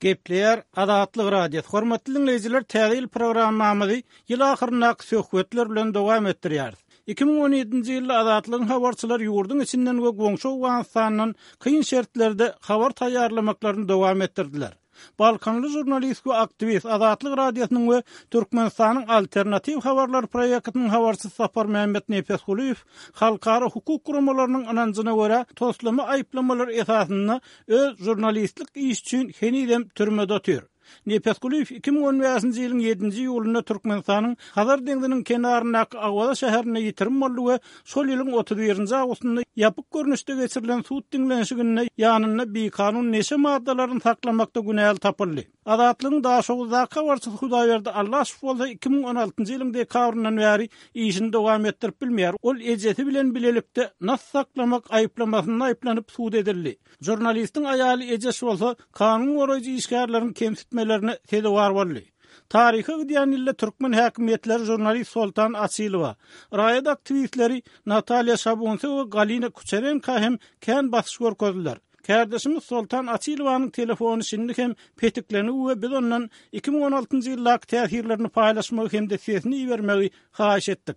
Gepleýär Azatlyk Radiosy. Hormatly diňleýjiler, Täze ýyl programmamyzy ýyl ahyryndaky söhbetler bilen dowam etdirýäris. 2017-nji ýylda Azatlygyň habarçylary ýurduň içinden we goňşy Owganystandan kyn şertlerde habar taýýarlamaklaryny dowam etdirdiler. Balkanly žurnalist we aktiwist, Azatlyk Radiosynyň we Türkmenistanyň Alternatiw habarlar proýektiniň habarçysy Saparmämmet Nepesgulyýew halkara hukuk guramalarynyň ynanjyna görä toslama aýyplamalar esasynda öz žurnalistlik işi üçin henizem türmede otyr. Nepesgulyýew 2015-nji ýylyň ýedinji iýulynda Türkmenistanyň Hazar deňziniň kenaryndaky Awaza şäherinde ýitirim boldy we şol ýylyň 31-nji awgustynda ýapyk görnüşde geçirilen sud diňlenişiginde ýanynda bikanun neşe maddalaryny saklamakda günäli tapyldy. Azatlygyň Daşoguzdaky habarçysy Hudaýberdi Allaşow bolsa 2016-njy ýylyň dekabryndan bäri işini dowam etdirip bilmeýär. Ol ejesi bilen bilelikde nas saklamak aýyplamasynda aýyplanyp sud edildi. Žurnalistiň aýaly Ejeş bolsa kanun goraýjy işgärleriň kemsitmelerine sezewar boldy. Taryha gidýän ýylda türkmen häkimiýetleri žurnalist Soltan Açylowa, raýat aktiwistleri Natalýa Şabunse we Galina Kuçerenka hem kän basyş görkezdiler. Kärdeşimiz Soltan Açylowanyň telefony şindi hem petiklengi we biz ondan 2016-njy ýyldaky täsirlerini paýlaşmagy hem-de sesini ibermegi haýyş etdik.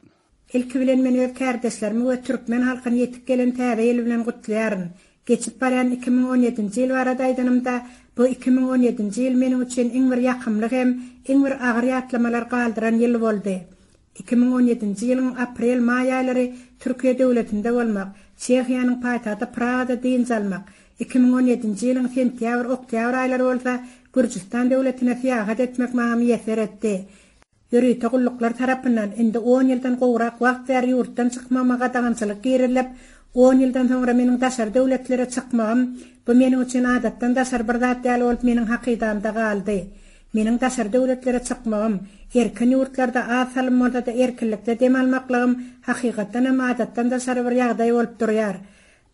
Ilki bilen men öz kärdeşlerimi we türkmen halkyny ýetip gelen Täze ýyl bilen gutlaýaryn. Geçip barýan 2017-nji ýyl barada aýdanymda, bu 2017-nji ýyl meniň üçin iň bir ýakymly hem iň bir agyr ýatlamalar galdyran ýyl boldy. 2017-nji ýylyň aprel-maý aýlary Türkiýe döwletinde bolmak, Çehiýanyň paýtagty Pragada dynç almak, 2017-nji ýylyň sentýabr-oktýabr aýlary bolsa Gürjüstan döwletine syýahat etmek maňa miýesser etdi. Ýörite gulluklar tarapyndan indi on ýyldan gowrak wagt bäri ýurtdan çykmagyma gadagançylyk girizilip, on ýyldan soňra meniň daşary döwletlere çykmagym, bu meniň üçin adatdan daşary bir zat ýaly bolup meniň hakydamda galdy. Meniň daşary döwletlere çykmagym, erkin ýurtlarda az salym bolsa-da erkinlikde dem almaklygym hakykatdan hem adatdan daşary bir ýagdaý bolup durýar.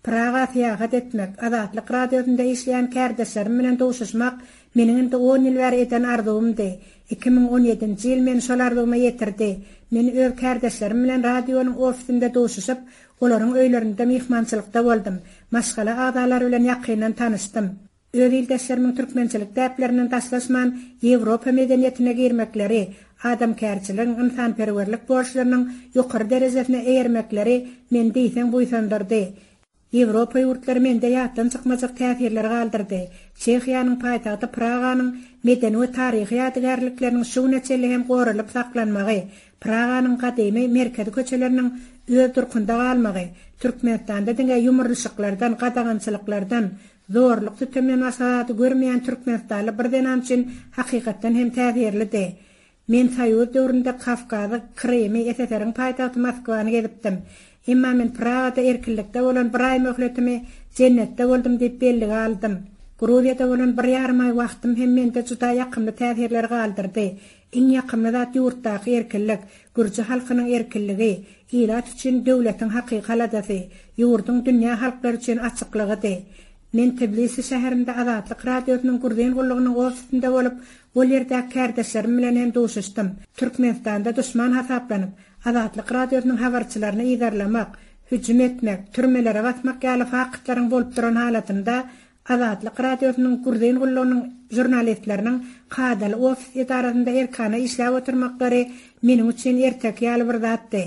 Praga syýahat etmek, Azatlyk Radiosynda işleýän kärdeşlerim bilen duşuşmak meniň indi on ýyl bäri eden arzuwymdy. 2017-nji ýyl meni şol arzuwyma ýetirdi. Men öz kärdeşlerim bilen radionyň ofisinde duşuşyp, olaryň öýlerinde myhmançylykda boldum. Maşgala agzalary bilen ýakyndan tanyşdym. Öz ildeşlerimiň türkmençilik däplerinden daşlaşman, Ýewropa medeniýetine girmekleri, adamkärçiligiň, ynsanperwerlik borçlarynyň ýokary derejesine eýermekleri meni diýseň buýsandyrdy. Ýewropa ýurtlary mende ýatdan çykmajak täsirleri galdyrdy. Çehiýanyň paýtagty Praganyň medeni we taryhy ýadygärlikleriniň şu güne çenli hem goralyp saklanmagy, Praganyň gadymy merkezi köçeleriniň öz durkunda galmagy, Türkmenistanda diňe ýumrulyşyklardan, gadagançylyklardan, Zorluk-sütemden başga zady görmeýän türkmenistanly bir zenan üçin hakykatdan hem täsirlidi. Men Soýuz döwründe Kawkazy, Krymy, SSR-iň paýtagty Moskwany gezipdim. Emma men Pragada erkinlikde bolan bir aý möhletimi jennetde boldum diýip bellige aldym. Gruziýada bolan bir ýarym aý wagtym hem mende juda ýakymly täsirleri galdyrdy. Iň ýakymly zat ýurtdaky erkinlik, gürji halkynyň erkinligi, ilat üçin döwletiň hakyky aladasy, ýurduň dünýä halklary üçin açyklygydy. Men Tbilisi şäherinde Azatlyk Radiosynyň Gruzin gullugynyň ofisinde bolup, ol ýerdäki kärdeşlerim bilen hem duşuşdym. Türkmenistanda duşman hasaplanyp, Azatlyk Radiosynyň habarçylaryny yzarlamak, hüjüm etmek, türmelere basmak ýaly faktlaryň bolup duran halatynda Azatlyk Radiosynyň Gruzin gullugynyň žurnalistleriniň kadaly ofis edarasynda erkana işläp oturmaklary meniň üçin erteki ýaly bir zatdy.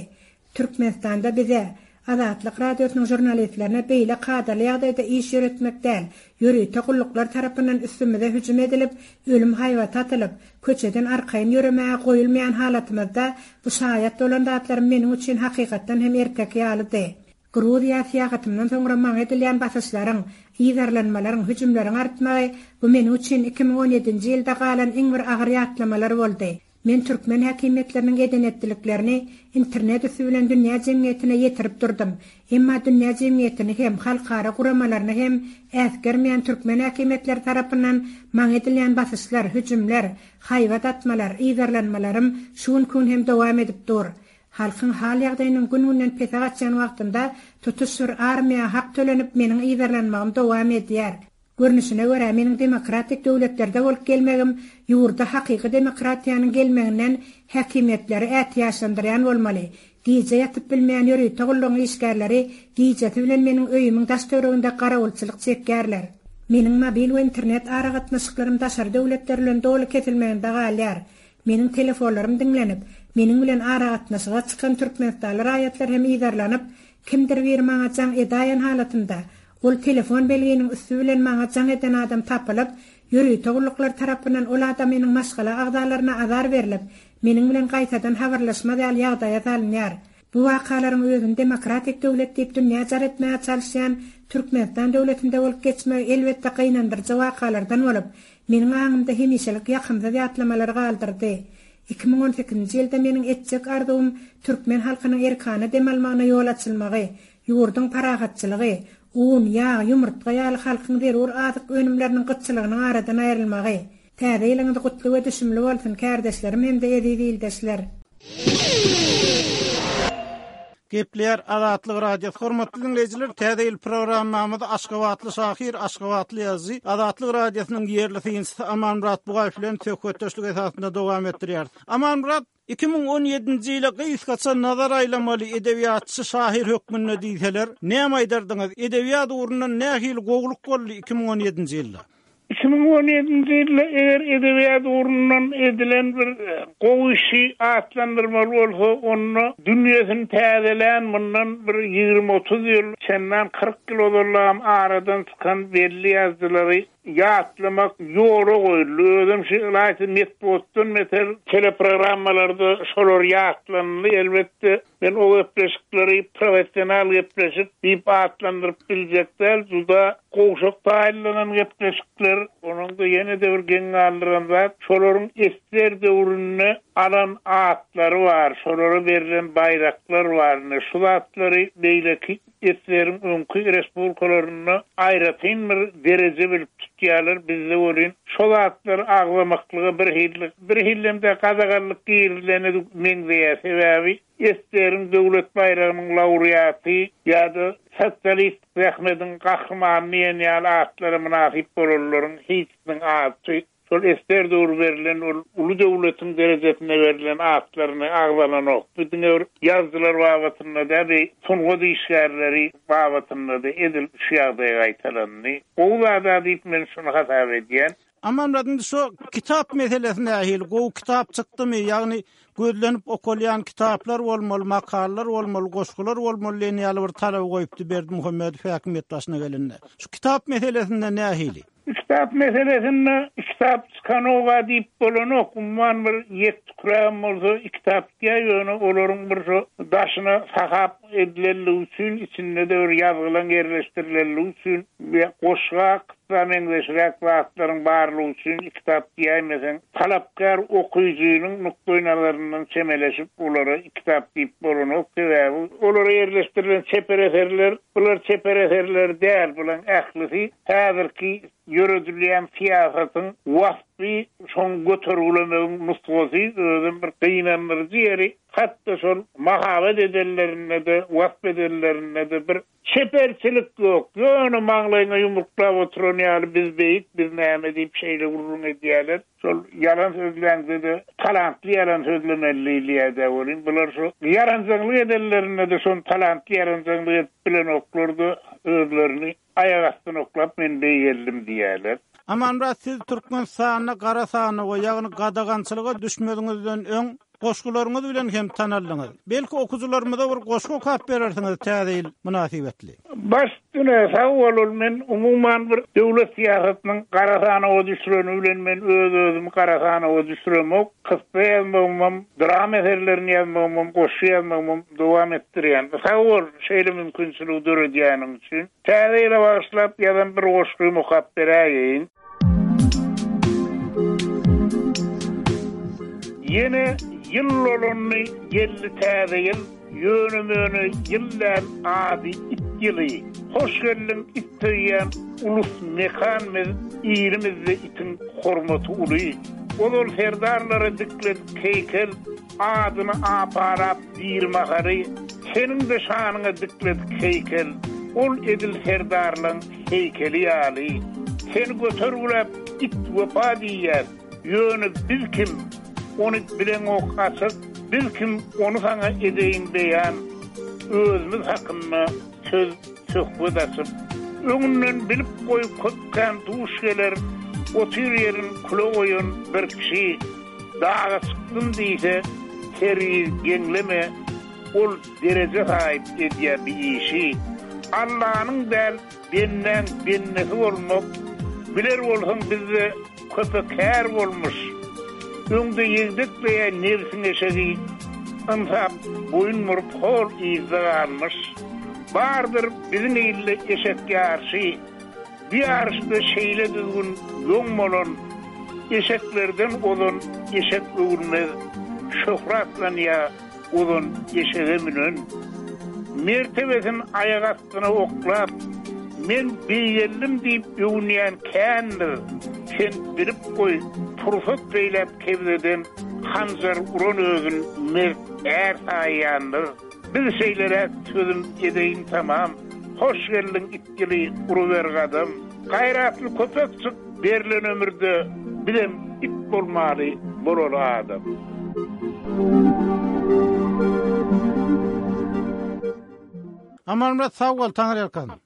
Türkmenistanda bize, Azatlyk Radiosynyň žurnalistlerine beýle kadaly ýagdaýda iş ýöretmek däl, ýörite gulluklar tarapyndan üstümize hüjüm edilip, ölüm haýbaty atylyp, köçeden arkaýyn ýöremäge goýulmaýan halatymyzda bu şaýat bolan zatlarym meniň üçin hakykatdan hem erteki ýalydy. Gruziýa syýahatymdan soňra maňa edilýän basyşlaryň, yzarlanmalaryň, hüjümleriň artmagy, bu meniň üçin 2017-nji ýylda galan iň bir agyr ýatlamalar boldy. Men türkmen häkimiýetleriniň eden-etdiliklerini internet üsti bilen dünýä jemgyýetine ýetirip durdum. Emma dünýä jemgyýetini hem, halkara guramalaryny hem äsgermeýän türkmen häkimiýetleri tarapyndan maňa edilýän basyşlar, hüjümler, haýbat atmalar, yzarlanmalarym şu günki gün hem dowam edip dur. Halkyň hal-ýagdaýynyň gün-günden pese gaçýan wagtynda tutuş bir armiýa hak tölenip meniň yzarlanmagym dowam edýär. Görnüşine görä, meniň demokratik döwletlerde bolup gelmegim ýurda hakyky demokratiýanyň gelmeginden häkimiýetleri ätiýaçlandyrýan bolmaly. Gije ýatyp bilmeýän ýörite gullugyň işgärleri gijesi bilen meniň öýümiň daş-töwereginde garawulçylyk çekýärler. Meniň mobil we internet aragatnaşyklarym daşary döwletler bilen doly kesilmeginde galýar. Meniň telefonlarym diňlenip, meniň bilen aragatnaşyga çykan türkmenistanly raýatlar hem yzarlanyp, kimdir biri maňa jaň edaýen halatynda, ol telefon belginiň üsti bilen maňa jaň eden adam tapylyp, ýörite gulluklar tarapyndan ol adamynyň maşgala agzalaryna azar berlip, meniň bilen gaýtadan habarlaşmaz ýaly ýagdaýa salynýar. Bu wakalaryň özüni demokratik döwlet diýip dünýä jar etmäge çalyşýan Türkmenistan döwletinde bolup geçmegi elbetde gynandyryjy wakalardan bolup, meniň aňymda hemişelik ýakymsyz ýatlamalary galdyrdy. 2018-nji ýylda meniň etjek arzuwym türkmen halkynyň erkana dem almagyna ýol açylmagy, ýurduň parahatçylygy, un, ýag, ýumurtga ýaly halkyň zerur azyk önümleriniň gytçylygynyň aradan aýrylmagy. Täze ýylyňyz gutly we düşümli bolsun, kärdeşlerim hem-de eziz ildeşler! Gepleýär Azatlyk Radiosy. Hormatly diňleýjiler, Täze ýyl programmamyzy aşgabatly şahyr, aşgabatly ýazyjy, Azatlyk Radiosynyň ýerli synçysy Amanmyrat Bugaýew bilen söhbetdeşlik esasynda dowam etdirýäris. Amanmyrat, 2017-nji ýyla gysgaça nazar aýlamaly edebiýatçy şahyr hökmünde diýseler, näme aýdardyňyz? Edebiýat ugrundan nähili gowulyk boldy 2017-nji ýylda? 2017-nji ýylda eger edebiýat ugrundan edilen bir gowy işi atlandyrmaly bolsa, onda dünýesini täzelän mundan bir ýigrimi-otuz ýyl, çendan 40 ýyl ozallam aradan çykan belli ýazyjylary ýatlamak ýola goýuldy. Özem şu ylaýta metbugatdan beter teleprogrammalarda şolar ýatlanyldy. Elbetde, men o gepleşikleri professional gepleşik diýip atlandyryp biljek däl. Juda gowşak taýynlanan gepleşikler. Onuň-da ýene-de bir geň galdyran zat, şolaryň ssr döwründe alan atlary bar, şolara berlen baýraklar bar. Ine, şu zatlary beýleki Ssr-iň öňki respublikalarynda aýratyn bir dereje bilip tutýarlar, bizde welin şo zatlary agzamaklyga birhili, birhilem-de gadaganlyk girizilene meňzeýär, sebäbi ssr-iň döwlet baýragynyň laureaty ýa-da Sosialistik zähmediň gahrymany diýen ýaly atlara mynasyp bolanlaryň hiçisiniň ady Şol ssr döwri berlen ol uly döwletiň derejesinde berlen atlaryny agzalanok. Bu diňe bir ýazyjylar babatynda däl, bu sungat işgärleri babatynda-da edil şu ýagdaý gaýtalandy. Gowy zad-a diýip men şuny hasap edýän. Amanmyrat indi şo kitap meselesi nähili? Gowy kitap çykdymy? Ýagny gözlenip okalýan kitaplar bolmaly, makalalar bolmaly, goşgular bolmaly diýen ýaly bir talaby goýupdy Berdimuhamedow häkimiýet başyna gelende. Şu kitap meselesinde nähili? Kitap meselesinde kitap çykanoga diýip bolanok, umuman bir ýek-tükrägem bolsa kitap çykýar, ýöne olaryň bir şo daşyna sahap edilenligi üçin, içinde-de bir ýazgylaň ýerleşdirilenligi üçin we goşga, kyssa meňzeşräk zatlaryň barlygy üçin kitap diýäýmeseň, talapkär okyjynyň nukdaýnazaryndan çemeleşip olara kitap diýip bolanok, sebäbi olara ýerleşdirilen çeper eserler, bular çeper eserler däl, bulaň ählisi Häzirki ýöredilýän syýasatyň waspy, şoň götergilemegiň nusgasy, özem bir gynandyryjy ýeri, hat-da şol mahabat edenlerinde-de, wasp edenlerinde-de bir çeperçilik ýok. Ýöne maňlaýyňa ýumruklap oturan ýaly biz beýik, biz näme diýip şeýle gürrüň edýärler. Şol ýalan sözläňde-de talantly ýalan sözlemeli diýilýär-dä welin, bular şu ýaranjaňlyk edenlerinde-de şony talantly ýaranjaňlyk edip bilenoklar-da özlerini. Aýak astyna oklap men beýgeldim diýýärler. Amanmyrat siz Türkmenistanda gara sanawa ýagny gadagançylyga düşmeziňizden öň goşgularyňyz bilen hem tanaldyňyz. Belki okyjylarymyza bir goşgy okap berersiňiz täze ýyl mynasybetli. Baş üstüne sag bol ol men umuman bir döwlet syýasatynyň gara sanawa düşüreni bilen men öz özümi gara sanawa düşüremok. Kyssa ýazmagymam, drama eserlerini ýazmagymam, goşgy ýazmagymam dowam etdirýän. Sag bol, şeýle mümkinçiligi döredýäniň üçin. Täze ýyla bagyşlap ýazan bir goşgymy okap beräýeýin. Ýene ýyl dolandy, geldi täze ýyl. Ýöne-möne ýyl däl, ady it ýyly. Hoş geldiň it söýýän ulus mekan biz, ilimizde itiň hormaty uly. Ozal serdarlara dikledik heýkel, adyny aparap diri mahaly, seniň-de şanyňa dikledik heýkel, ol edil serdarlaň heýkeli ýaly. Seni götergiläp it wepa diýýäs. Ýöne biz kim, ony bileňok açyk, Biz kim, ony saňa edeýin beýan, Özümiz hakynda söz, söhbet açyp. Öňünden bilip goý köp kän duş geler, Otyr ýerin küle goýan bir kişi. Daga çykdym diýse, hergiz geňleme, Ol dereje saýyp edýä bi işi. Allanyň däl, bendäň bendesi bolmak, Biler bolsaň bizde köpe kär bolmuş. Öňde ýegdekleýä nebsiň eşegi, Ynsap boýun burup hol yzda galmyş. Bardyr biziň ilde eşek ýaryşy, Bu ýaryşda şeýle düzgün ýoň bolan, Eşeklerden ozan eşek öwülmez, Şöhratlanýar ozan eşege münen. Mertebesin aýak astyna oklap, Men beýgeldim diýip öwünýän kändir. Sen bilip goý, pursat peýläp kebzeden Hanjar uran özün mert är saýýandyr. Biz şeýleräk sözüm edeýin tamam, Hoş geldiň it ýyly uruber gadam. Gaýratly köpek çyk berlen ömürde Bizem it bolmaly bolaly adam. Amanmyrat sag bol Taňryýalkasyn.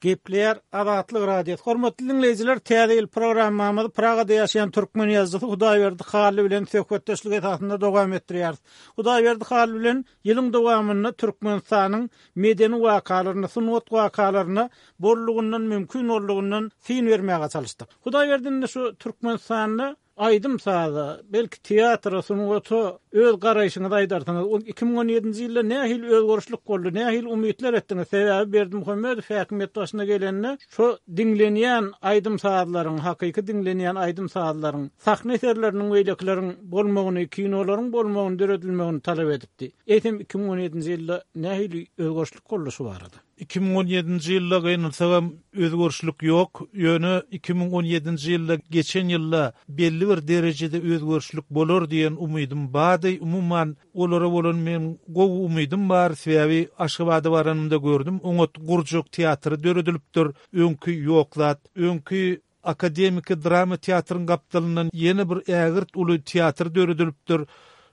Gepleýär Azatlyk Radiosy. Hormatly diňleýjiler, Täze ýyl programmamyzy Pragada ýaşaýan türkmen ýazyjysy Hudaýberdi Hally bilen söhbetdeşlik esasynda dowam etdirýäris. Hudaýberdi Hally bilen ýylyň dowamynda Türkmenistanyň medeni wakalaryna, sungat wakalaryna bollugyndan, mümkin boldugyndan syn bermäge çalyşdyk. Hudaýberdi indi şu Türkmenistanda Aýdym-saza, belki teatra, sungata öz garaýşyňyzy aýdarsyňyz. Ol 2017-nji ýylda nähili özgerişlik boldy, nähili umytlar etdiňiz? Sebäbi Berdimuhamedow häkimiýet başyna gelende şo diňlenýän aýdym-sazlaryň, hakyky diňlenýän aýdym-sazlaryň, sahna eserleriniň beýlekileriň bolmagyny, kinolaryň bolmagyny, döredilmegini talap edipdi. Eýsem 2017-nji ýylda nähili özgerişlik boldy şu barada? 2017-nji ýylda gynansagam özgerişlik ýok, ýöne 2017-nji ýylda geçen ýylda belli bir derejede özgerişlik bolar diýen umydym bardy. Umuman, olara bolan meň gowy umydym bar, sebäbi Aşgabada baranymda gördüm, oňat gurjak teatry döredilipdir, öňki ýok zat. Öňki Akademiki drama teatryň gapdalyndan ýene bir ägirt uly teatr döredilipdir.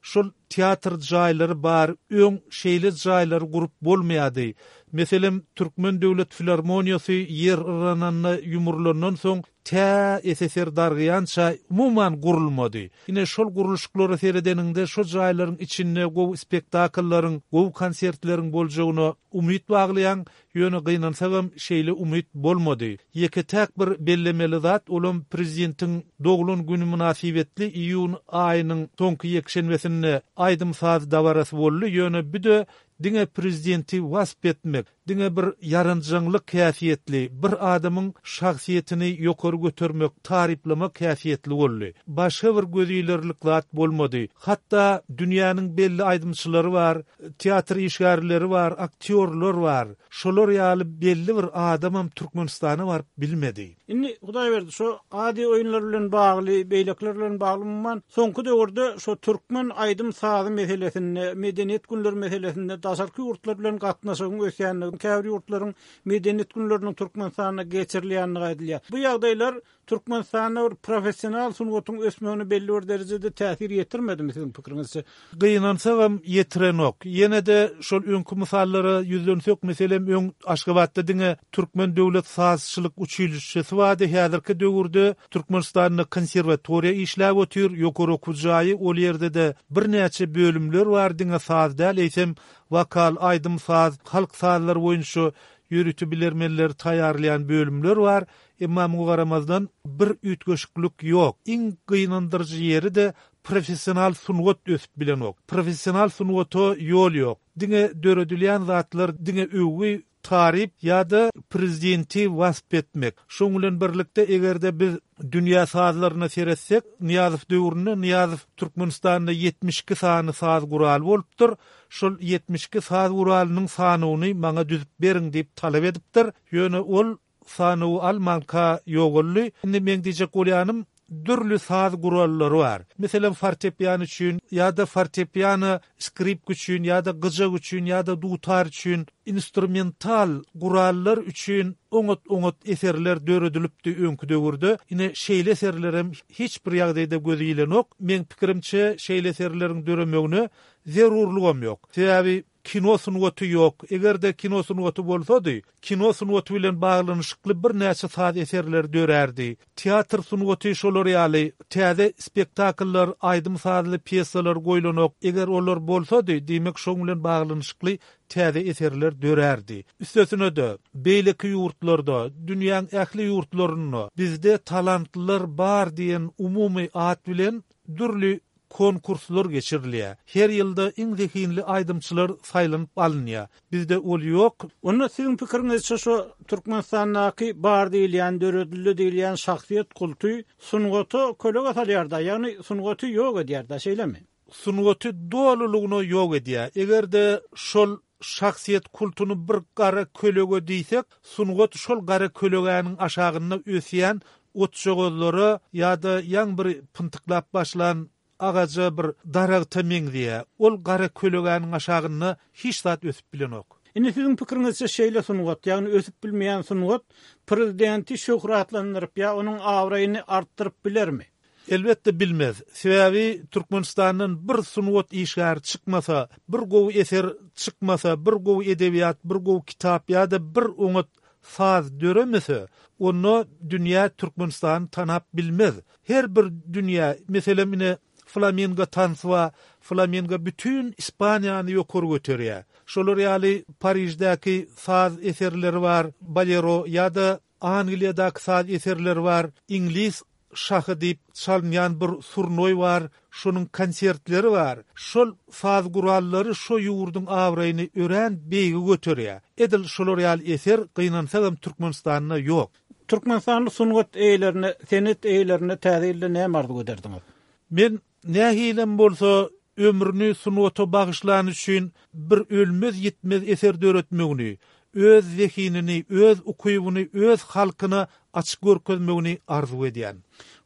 Şol teatr jaýlary bar, öň şeýle jaýlary gurup bolmaýardy. Meselem, Türkmen döwlet filarmoniýasy ýer yrananda ýumrulandan soň tä SSR dargaýança umuman gurulmady. Ine, şol gurluşyklara seredeniňde şo jaýlaryň içinde gowy spektakllaryň, gowy konsertleriň boljagyna umyt baglaýaň. Ýöne gynansagam şeýle umyt bolmady. Ýeke-täk bir bellemeli zat olam prezidentiň doglan güni mynasybetli iýun aýynyň soňky ýekşenbesinde aýdym-saz dabarasy boldy, ýöne büde diňe prezidenti wasp etmek, diňe bir ýaranjaňlyk häsiýetli, bir adamyň şahsyýetini ýokary götermek, taryplamak häsiýetli boldy. Başga bir gözilerlik zat bolmady. Hatda dünýäniň belli aýdymçylary bar, Teatr işgärleri bar, aktýorlar bar. Şolar ýaly belli bir adamam Türkmenistana baryp bilmedi. Indi, Hudaýberdi, şo Aziýa oýunlary bilen bagly, beýlekiler bilen bagly, umuman, soňky döwürde şo türkmen aýdym-sazy meselesinde, medeniýet günleri meselesinde daşarky ýurtlar bilen gatnaşygyň ösýändigi, käbir ýurtlaryň medeniýet günleriniň Türkmenistanda geçirilýändigi aýdylýar. Bu ýagdaýlar Türkmenistanda bir professional sungatyň ösmegine belli bir derejede täsir ýetirmedimi siziň pikiriňizçe? Gynansagam ýetirenok. Ýene-de şol öňki mysallara ýüzlensek, meselem öň Aşgabatda diňe Türkmen döwlet sazçylyk uçilişşesi bardy, häzirki döwürde Türkmenistanda konserwatoriýa işläp otyr, ýokary okuw jaýy, ol ýerde-de birnäçe bölümler bar, diňe saz däl, eýsem wokal, aýdym-saz, halk sazlary boýunça ýörite bilermenleri taýýarlaýan bölümler bar. Emma muňa garamazdan, bir üýtgeşiklik ýok. Iň gynandyryjy ýeri-de professional sungat ösüp bilenok. Professional sungata ýol ýok. Diňe döredilýän zatlar diňe öwgi, taryp ýa-da prezidenti wasp etmek. Şoň bilen birlikde eger-de biz dünýä sazlaryna seretsek, Nyýazow döwründe Nyýazow Türkmenistanda 72 sany saz guraly bolupdyr. Şol 72 saz guralynyň sanawyny maňa düzüp beriň diýip talap edipdir. Ýöne ol Sanawy almanka ýogaldy. Indi meň diýjek bolýanym, dürli saz gurallary bar. Meselem, fortepiano üçin ýa-da fortepiano skripka üçin ýa-da gyjak üçin ýa-da dutar üçin instrumental gurallar üçin oňat-oňat eserler döredilipdi öňki döwürde. Ine, şeýle eserlerem hiç bir ýagdaýda göze ilenok. Meň pikirimçe, şeýle eserleriň döremegine zerurlygam ýok. Sebäbi. Kino sungaty ýok. Eger-de kino sungaty bolsady, kino sungaty bilen baglanyşykly birnäçe saz eserleri dörärdi. Teatr sungaty şolar ýaly, täze spektakllar, aýdym-sazly pýesalar goýlanok. Eger olar bolsady, diýmek şoň bilen baglanyşykly täze eserler dörärdi. Üstesine-de, beýleki ýurtlarda, dünýäň ähli ýurtlarynda bizde talantlylar bar diýen umumy at bilen dürli konkurslar geçirilýär. Her ýylda iň zehinli aýdymçylar saýlanyp alynýar. Bizde ol ýok. Onda siziň pikiriňizçe şo Türkmenistandaky bar diýilýän, döredildi diýilýän şahsyýet kulty sungata kölege salýar-da, ýagny sungaty ýok edýär-da, şeýlemi? Sungaty dolulygyna ýok edýär. Eger-de şol şahsyýet kultuny bir gara kölege diýsek, sungat şol gara kölegäniň aşagynda ösýän otjagazlara ýa-da ýaňy bir pyntyklap başlan agaja bir daragta meňzeýär. Ol gara kölegäniň aşagynda hiç zat ösüp bilenok. Indi siziň pikiriňizçe şeýle sungat, ýagny ösüp bilmeýän sungat prezidenti şöhratlandyryp ýa onuň abraýyny artdyryp bilermi? Elbetde bilmez. Sebäbi Türkmenistandan bir sungat işgäri çykmasa, bir gowy eser çykmasa, bir gowy edebiýat, bir gowy kitap ýa-da bir oňat saz döremese, onda dünýä Türkmenistany tanap bilmez. Her bir dünýä, meselem ine Flamingo tansy bar, Flamingo bütin Ispaniýany ýokary göterýär. Şolar ýaly Pariždäki saz eserleri bar, bolero ýa-da Angliýadaky saz eserleri bar, iňlis şahy diýip çalynýan bir surnoý bar, şonuň konsertleri bar. Şol saz gurallary şo ýurduň abraýyny örän beýige göterýär. Edil şolar ýaly eser gynansagam Türkmenistanda ýok. Türkmenistanly sungat eýelerine, senet eýelerine täze ýylda näme arzuw ederdiňiz? Men Nähilem bolsa, ömrüni sungata bagyşlany üçin bir ölmez-ýitmez eser döretmegini, öz zehinini, öz ukybyny öz halkyna açyk görkezmegini arzuw edýän.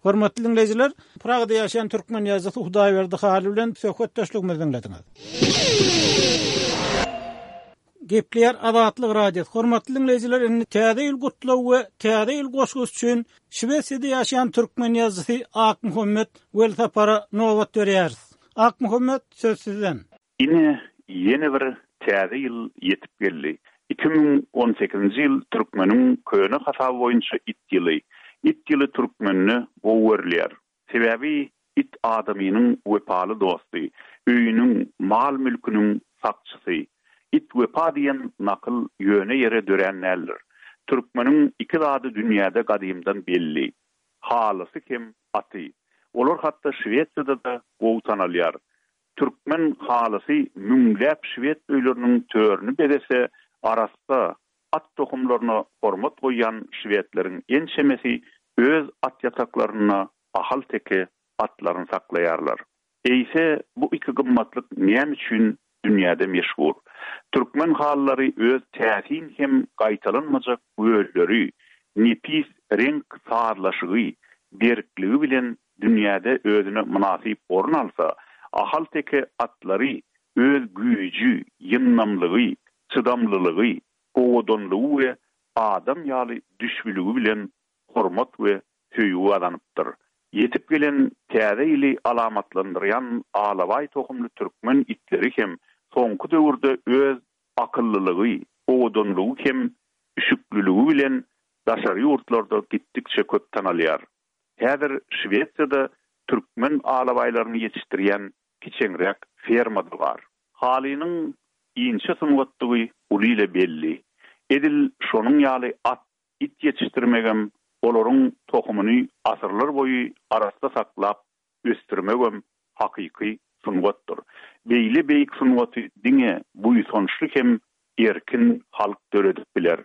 Hormatly diňleýjiler, Pragada ýaşaýan türkmen ýazyjysy Hudaýberdi Hally bilen söhbetdeşligimizi diňlediňiz. Gepleýär Azatlyk Radiosy. Hormatly diňleýjiler, indi Täze ýyl gutlagy we Täze ýyl goşgusy üçin Şwesiýada ýaşaýan türkmen ýazyjysy Akmuhammet Welsapara nobat berýäris. Akmuhammet, söz sizden. Ine, ýene bir Täze ýyl ýetip geldi. 2018-nji ýyl türkmeniň köne hasaby boýunça it ýyly. It ýyly türkmende gowy görülýär. Sebäbi it adamynyň wepaly dosty, öýüniň, mal-mülküniň sakçysy. It wepa diýen nakyl ýöne ýere dörän däldir. Türkmeniň iki zady dünýäde gadymdan belli. Halysy hem aty. Olar hatda Şwesiýada-da gowy tanalýar. Türkmen halysy müňläp şwed öýleriniň törüni bezese, arassa, At tohumlaryna hormat goýýan şwedleriň ençemesi öz at ýataklarynda ahal-teke atlaryny saklaýarlar. Eýse, bu iki gymmatlyk näme üçin dünýäde meşhur? Türkmen halylary öz täsin hem gaýtalanmajak gölleri, nepis reňk sazlaşygy, berkligi bilen dünýäde özüne mynasyp orun alsa, ahal-teke atlary öz güýji, ýyndamlygy, çydamlylygy, owadanlygy we adam ýaly düşbüligi bilen hormat we söýgi gazanypdyr. Ýetip gelen Täze ýyly alamatlandyrýan alabaý tohumly türkmen itleri hem soňky döwürde öz akyllylygy, owadanlygy hem üşükliligi bilen daşary ýurtlarda gitdikçe köp tanalýar. Häzir Şwesiýada türkmen alabaýlaryny ýetişdirýän kiçeňräk ferma-da bar. Halynyň inçe sungatdygy uly ile belli. Edil şonuň ýaly at, it ýetişdirmegem, olaryň tohumyny asyrlar boýy arassa saklap ösdürmegem hakyky sungatdyr. Beýle beýik sungaty diňe buýsançly hem erkin halk döredip biler.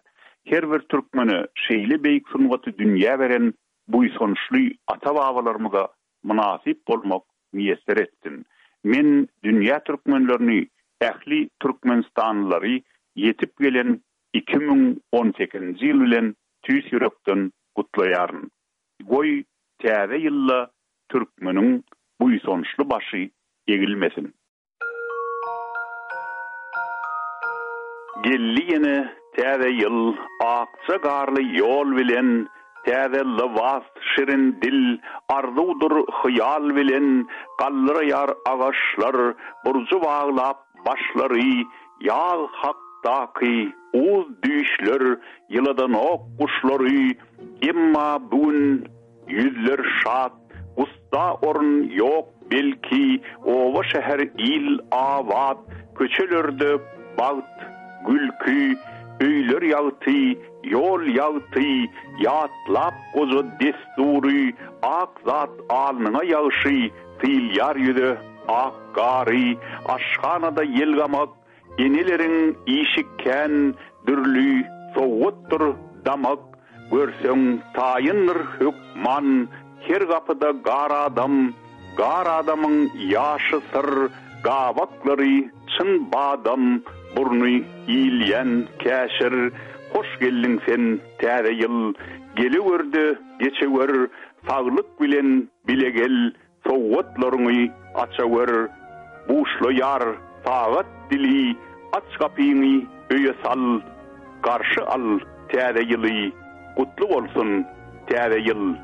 Her bir türkmene şeýle beýik sungaty dünýä beren buýsançly ata-babalarymyza mynasyp bolmak miýesser etsin. Men dünýä türkmenlerini, ähli türkmenistanlylary ýetip gelen 2018-nji ýyl bilen tüýs ýürekden gutlaýaryn. Goý, täze ýylda türkmeniň buýsançly başy egilmesin! Geldi ýene täze ýyl akja garly ýol bilen, Täze lybas, şirin dil, arzuwdyr hyýal bilen, Galdyraýar agaçlar, burjy baglap başlary. Ýaz hakdaky uz düýşler ýyladanok guşlary, Emma bu gün ýüzler şat, gussa orun ýok belki, Oba-şäher il abat, köçelerde bagt, gülki, Öýler ýagty, ýol ýagty, ýatlap goja dessury, Ak zat alnyňa ýagşy, sylýar ýüze ak gary, Aşhanada ýelgamak, eneleriň işi kän, Dürli sowgatdyr damak, görseň taýyndyr hökman, Her gapyda gar adam, gar adamyň ýaşy syr, Gabaklary çyn badam, burny iýilýän käşir, Hoş geldiň sen, Täze ýyl, gelewür-de geçewür, Saglyk bilen bile gel, Sowgatlaryňy açawer, buşlaýar sagat dili, Aç gapyňy öýe sal, garşy al Täze ýyly, Gutly bolsun Täze ýyl!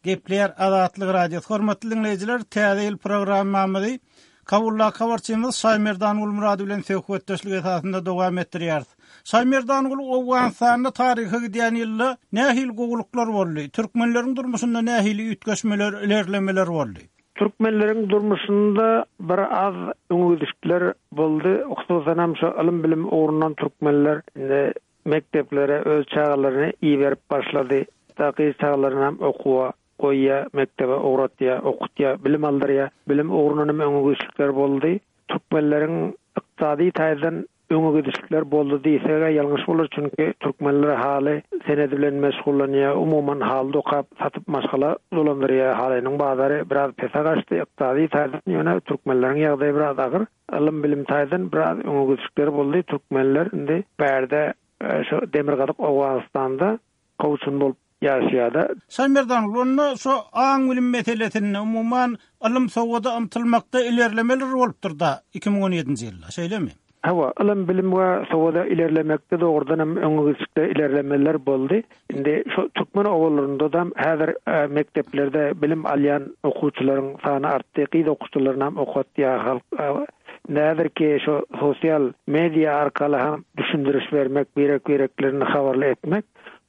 Gepleýär Azatlyk Radiosy. Hormatly diňleýjiler, Täze ýyl programmamyzy Kabuldaky habarçymyz Şaýmerdan Gulmyrady bilen söhbetdeşlik esasynda dowam etdirýäris. Şaýmerdan Gul, Owganystanda taryha gidýän ýylda nähili gowulyklar boldy? Türkmenleriň durmuşynda nähili üýtgeşmeler, ilerlemeler boldy? Türkmenleriň durmuşynda bir az öňegidişikler boldy. Hususanam şu ylym-bilim ugrundan türkmenler indi mekdeplere öz çagalaryny iberip başlady. Hatda gyz çagalarynam okuwa goýýar, mekdebe ugratýar, okutýar, bilim aldyrýar. Bilim ugrundan hem öňe gidişlikler boldy. Türkmenleriň ykdysady taýdan öňe gidişlikler boldy diýseg-ä ýalňyş bolar, çünki türkmenler haly senedi bilen meşgullanýar, umuman haly dokap, satyp maşgala dolandyrýar. Halynyň bazary biraz pese gaçdy ykdysady taýdan, ýöne türkmenleriň ýagdaýy biraz agyr. Ylym-bilim taýdan biraz öňe gidişlikler boldy. Türkmenler indi bärde şu demirgazyk Owganystanda kowçum bolup ýaşaýar-da. Şaýmerdan, onda şu aň-bilim meselesinde, umuman, ylym-sowada ymtylmakda ilerlemeler bolupdyr-da 2017-nji ýylda, şeýlemi? Hawa, ylym-bilim we sowada ilerlemekde dogrudan hem öňe gidişlikde ilerlemeler boldy. Indi şu türkmen obalarynda-da häzir mekdeplerde bilim alýan okuwçylaryň sany artdy, gyz okuwçylarynam okatýar halk. Indi häzirki şu sosial media arkaly hem düşündiriş bermek, birek-bireklerini habarly etmek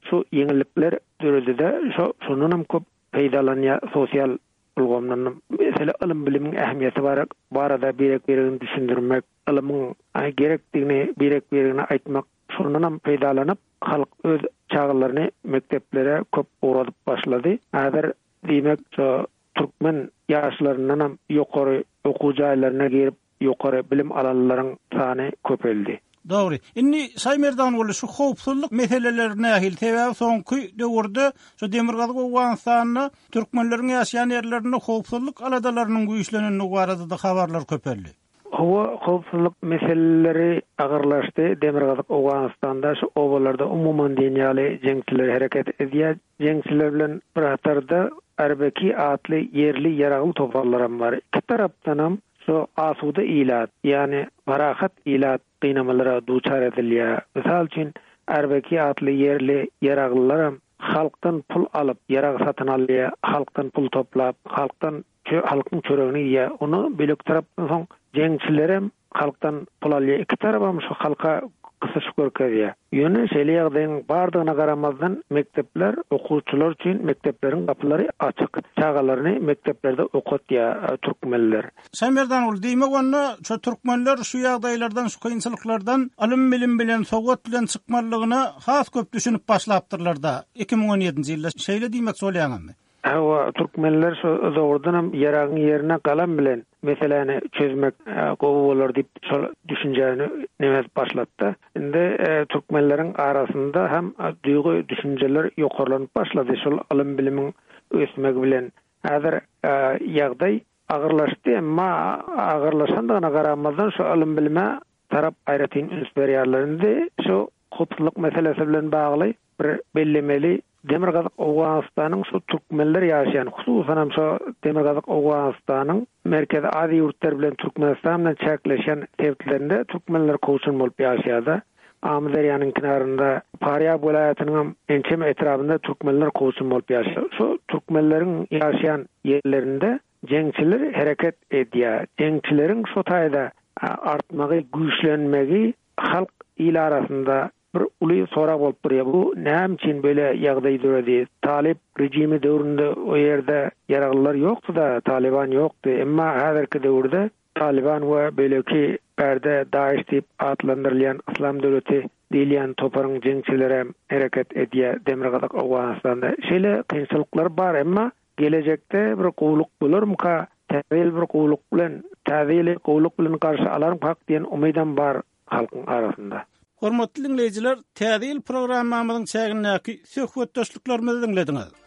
şu ýeňillikler döredide şo şondanam köp peýdalanýar sosial ulgamdanam. Mesele ylym-bilimiň ähmiýeti bar barada birek-biregini düşündirmek, ylymyň gerekdigini birek-biregine aýtmak şondanam peýdalanyp halk öz çagalaryny mekdeplere köp ugradyp başlady. Häzir diýmek şo türkmen ýaşlaryndanam ýokary okuw jaýlaryna girip ýokary bilim alanlaryň sany köpeldi. Dogry. Indi Şaýmerdanguly şu howpsuzlyk meseleleri nähili? Sebäbi soňky döwürde şu Demirgazyk Owganystanda türkmenleriň ýaşaýan ýerlerinde howpsuzlyk aladalarynyň güýçlenendigi barada-da habarlar köpeldi. Howa howpsuzlyk meseleleri agyrlaşdy. Demirgazyk Owganystanda şu obalarda umuman diýen ýaly jeňçiler hereket edýär. Jeňçiler bilen bir hatarda Arbeki atly ýerli ýaragly toparlaram bar. Iki tarapdanam şu asuda ilat, ýagny parahat ilat gynamalara duçar edilýär. Mysal üçin, Arbeki atly ýerli ýaraglylaram halkdan pul alyp, ýarag satyn alýar, halkdan pul toplap, halkdan halkyň çöregini iýýär. Ony beýleki tarapdan soň jeňçilerem halkdan pul alýar. Iki tarapam şu halka gysyş görkezýär. Ýöne şeýle ýagdaýyň bardygyna garamazdan mekdepler okuwçylar üçin mekdepleriň gapylary açyk. Çagalaryny mekdeplerde okatýar türkmenler. Şaýmerdanguly, diýmek onda şu türkmenler şu ýagdaýlardan, şu kynçylyklardan ylym-bilim bilen, sowat bilen çykmalydygyna has köp düşünip başlapdyrlar-da 2017-nji ýylda. Şeýle diýmekçi bolýaňyzmy? Hawa, türkmenler şo dogrudanam ýaragyň ýerine galam bilen meseläni çözmek gowy bolar diýip şol düşünjäni neme edip başlatdy. Indi türkmenleriň arasynda hem duýgy düşünjeler ýokarlanyp başlady şol ylym-bilimiň ösmegi bilen. Häzir ýagdaý agyrlaşdy, emma agyrlaşandygyna garamazdan şu ylym-bilime tarap aýratyn üns berýärler. Indi şu howpsuzlyk meselesi bilen bagly bir bellemeli, Demirgazyk Owganystanyň şu türkmenler ýaşaýan, hususanam şu Demirgazyk Owganystanyň Merkezi Aziýa ýurtlary bilen Türkmenistan bilen çäkleşýän sebitlerinde türkmenler kowçum bolup ýaşaýar-da. Amyderýanyň kenarynda, Farýab welaýatynyňam ençeme etrabynda türkmenler kowçum bolup ýaşaýar. Şu türkmenleriň ýaşaýan ýerlerinde jeňçiler hereket edýär. Jeňçileriň şo taýda artmagy, güýçlenmegi halk il arasynda bir uly sorag bolup durýar. Bu näme üçin beýle ýagdaý döredi? Talyp režimi döwründe o ýerde ýaraglylar ýokdy-da, Talyban ýokdy. Emma häzirki döwürde Talyban we beýleki bärde DAIŞ diýip atlandyrylýan Yslam döwleti diýilýän toparyň jeňçilerem hereket edýär Demirgazyk Owganystanda. Şeýle kynçylyklar bar, emma gelejekde bir gowulyk bolarmyka, täze ýyl bir gowulyk bilen, täze ýyly gowulyk bilen garşy alarmkak diýen umydam bar halkyň arasynda. Hormatly diňleýjiler, Täze ýyl programmamyzyň çägindäki söhbetdeşliklerimizi diňlediňiz.